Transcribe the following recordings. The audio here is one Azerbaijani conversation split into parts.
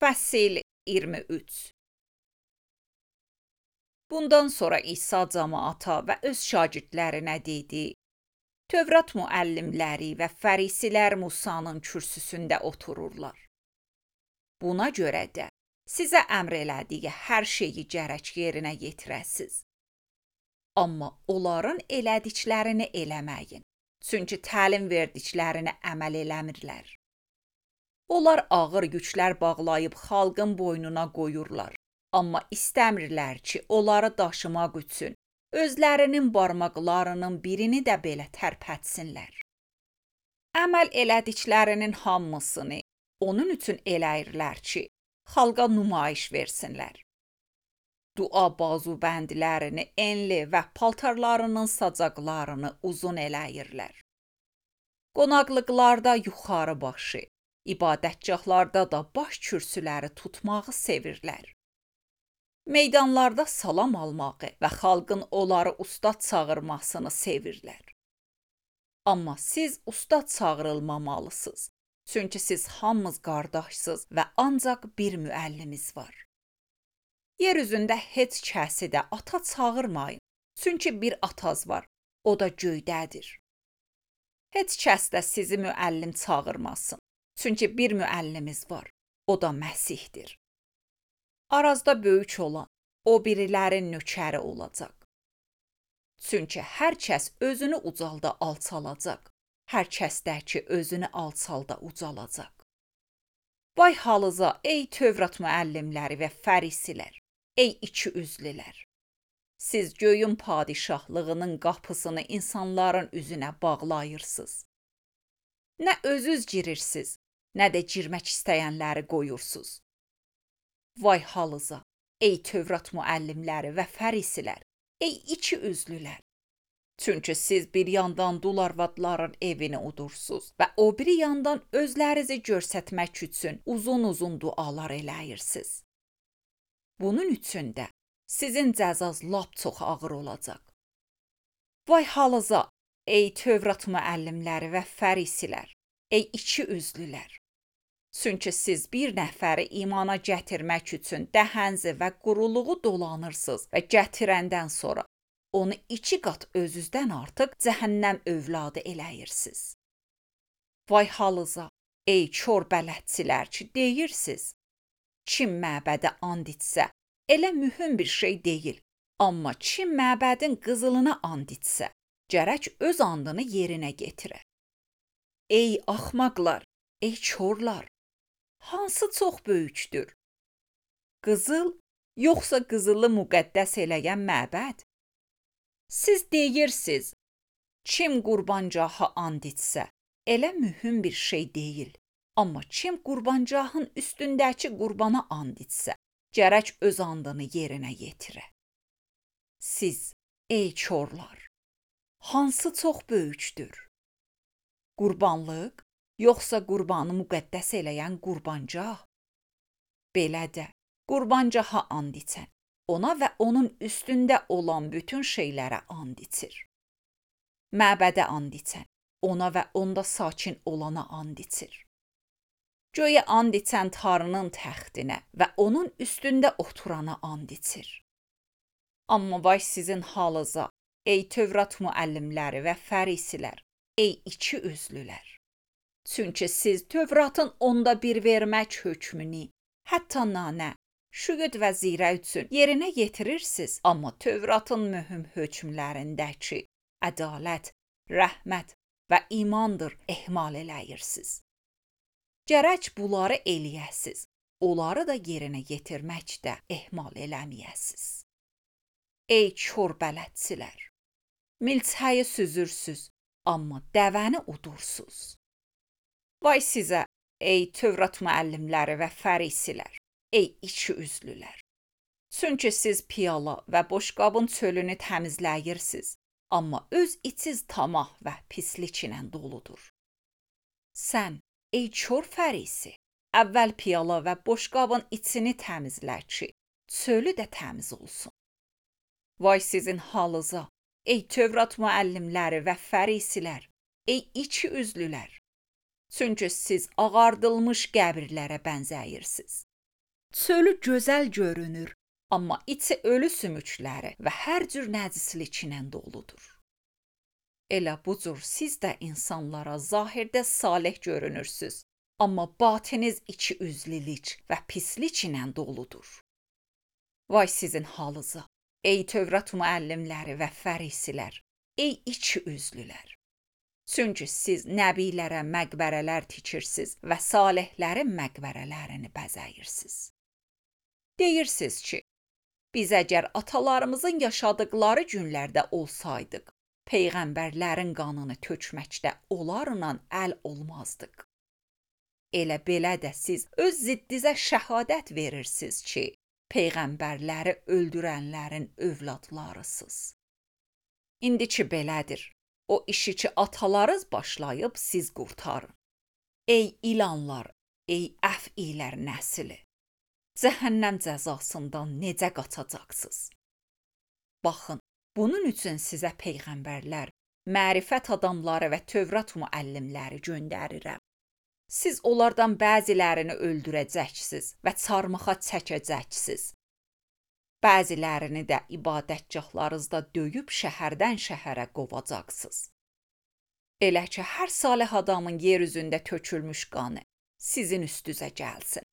Fəsil 23. Bundan sonra İsa cəmaata və öz şagirdlərinə dedi: Tövrat müəllimləri və fərisilər Musanın kürsüsündə otururlar. Buna görə də sizə əmr elədiyi hər şeyi gərək yerinə yetirəsiz. Amma onların elədiklərini eləməyin, çünki təlim verdiklərini əməl eləmirlər. Onlar ağır yüklər bağlayıb xalqın boynuna qoyurlar, amma istəmirlər ki, onları daşımaq üçün özlərinin barmaqlarının birini də belə tərpətsinlər. Əməl elədiklərinin hamısını onun üçün eləyirlər ki, xalqa nümayiş versinlər. Dua bazubəndlərini enli və paltarlarının sacaqlarını uzun eləyirlər. Qonaqlıqlarda yuxarı başı, ibadətgahlarda da baş kürsüləri tutmağı sevirlər. Meydanlarda salam almağı və xalqın onları ustad çağırmasını sevirlər. Amma siz ustad çağırılmamalısınız, çünki siz hamınız qardaşsınız və ancaq bir müəllimiz var. Yer üzündə heç kəsi də ata çağırmayın, çünki bir ataz var, o da göydədir. Heç kəs də sizi müəllim çağırmasın, çünki bir müəllimiz var, o da Məsihdir. Arazda böyük olan, o birilərin nökəri olacaq. Çünki hər kəs özünü ucalda alçalacaq, hər kəs də ki özünü alçalda ucalacaq. Vay halınıza ey Tövrat müəllimləri və fərisilər, ey iki üzlülər! Siz göyün padişahlığının qapısını insanların üzünə bağlayırsınız. Nə özünüz girirsiniz, nə də girmək istəyənləri qoyursunuz. Vay halınıza, ey Tövrat müəllimləri və fərisilər, ey iki üzlülər! Çünki siz bir yandan dul arvadların evini udursunuz və o biri yandan özlərinizi göstərmək üçün uzun-uzun dualar eləyirsiniz. Bunun üçün də sizin cəzanız lap çox ağır olacaq. Vay halınıza, ey Tövrat müəllimləri və fərisilər, ey iki üzlülər! Çünki siz bir nəfəri imana gətirmək üçün dəhənzi və quruluğu dolanırsınız və gətirəndən sonra onu 2 qat özünüzdən artıq cəhənnəm övladı eləyirsiniz. Vay halınıza, ey kör bələdçilər ki deyirsiniz, kim məbədə and içsə, elə mühüm bir şey deyil, amma kim məbədin qızılına and içsə, gərək öz andını yerinə yetirə. Ey axmaqlar, ey körlər! Hansı çox böyükdür? Qızıl, yoxsa qızılı müqəddəs eləyən məbəd? Siz deyirsiniz, kim qurbancaha and içsə, elə mühüm bir şey deyil. Amma kim qurbancahın üstündəki qurbana and içsə, gərək öz andını yerinə yetirə. Siz, ey körlər, hansı çox böyükdür? Qurbanlıq, yoxsa qurbanı müqəddəs eləyən qurbancah? Belə də, qurbancaha and içən, ona və onun üstündə olan bütün şeylərə and içir. Məbədə and içən, ona və onda sakin olana and içir. Göyə and içən Tanrının təxtinə və onun üstündə oturana and içir. Amma vay sizin halınıza, ey Tövrat müəllimləri və fərisilər, ey iki üzlülər! Çünki siz Tövratın onda bir vermək hökmünü, hətta nanə, şüqüd və zirə üçün yerinə yetirirsiniz, amma Tövratın mühüm hökmlərindəki ədalət, rəhmət və imandır ehmal eləyirsiniz. Gərək bunları eləyəsiz, onları da yerinə yetirməkdə ehmal eləməyəsiz. Ey kör bələdçilər! Milçəyi süzürsüz, amma dəvəni udursuz. Vay sizə, ey Tövrat müəllimləri və fərisilər, ey iki üzlülər! Çünki siz piyala və boşqabın çölünü təmizləyirsiniz, amma öz içiniz tamah və pislik ilə doludur. Sən, ey kör fərisi, əvvəl piyala və boşqabın içini təmizlə ki, çölü də təmiz olsun. Vay sizin halınıza, ey Tövrat müəllimləri və fərisilər, ey iki üzlülər! Çünki siz ağardılmış qəbirlərə bənzəyirsiniz. Çölü gözəl görünür, amma içi ölü sümükləri və hər cür nəcislik ilə doludur. Elə bu cür siz də insanlara zahirdə salih görünürsüz, amma batiniz iki üzlülük və pislik ilə doludur. Vay sizin halınıza, ey Tövrat müəllimləri və fərisilər, ey iki üzlülər. Çünki siz nəbilərə məqbərələr tikirsiniz və salihlərin məqbərələrini bəzəyirsiniz. Deyirsiniz ki, biz əgər atalarımızın yaşadıkları günlərdə olsaydıq, peyğəmbərlərin qanını tökməkdə onlarla əl olmazdıq. Elə belə də siz öz ziddinizə şəhadət verirsiniz ki, peyğəmbərləri öldürənlərin övladlarısınız. İndiki belədir. O işi ki atalarız başlayıb siz qurtarın. Ey ilanlar, ey əfilər nəsli, cəhənnəm cəzasından necə qaçacaqsınız? Baxın, bunun üçün sizə peyğəmbərlər, mərifət adamları və Tövrat müəllimləri göndərirəm. Siz onlardan bəzilərini öldürəcəksiniz və çarmıxa çəkəcəksiniz. Bəzilərini də ibadətgahlarınızda döyüb şəhərdən şəhərə qovacaqsınız. Elə ki, hər salih adamın yer üzündə tökülmüş qanı sizin üstünüzə gəlsin.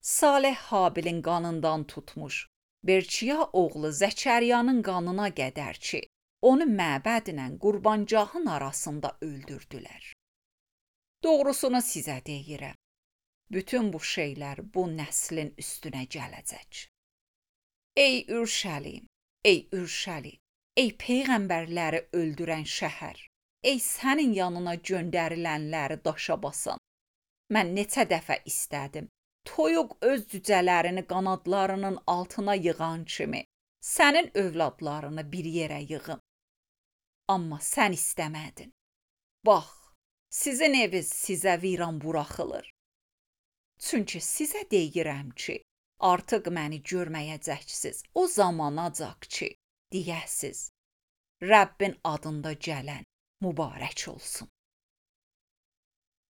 Salih Habilin qanından tutmuş, Berkiya oğlu Zəkəriyanın qanına qədər ki, onu məbədlə qurbancağın arasında öldürdülər. Doğrusunu sizə deyirəm, bütün bu şeylər bu nəslin üstünə gələcək. Ey Ürşəlim, ey Ürşəlim, ey peyğəmbərləri öldürən şəhər, ey sənin yanına göndərilənləri daşa basan. Mən neçə dəfə istədim, toyuq öz cücələrini qanadlarının altına yığan kimi, sənin övladlarını bir yerə yığım. Amma sən istəmədin. Bax, sizin eviniz sizə viran buraxılır. Çünki sizə deyirəm ki, artıq məni görməyəcəksiniz o zamanacaq ki, deyəsiz, Rəbbin adında gələn mübarək olsun.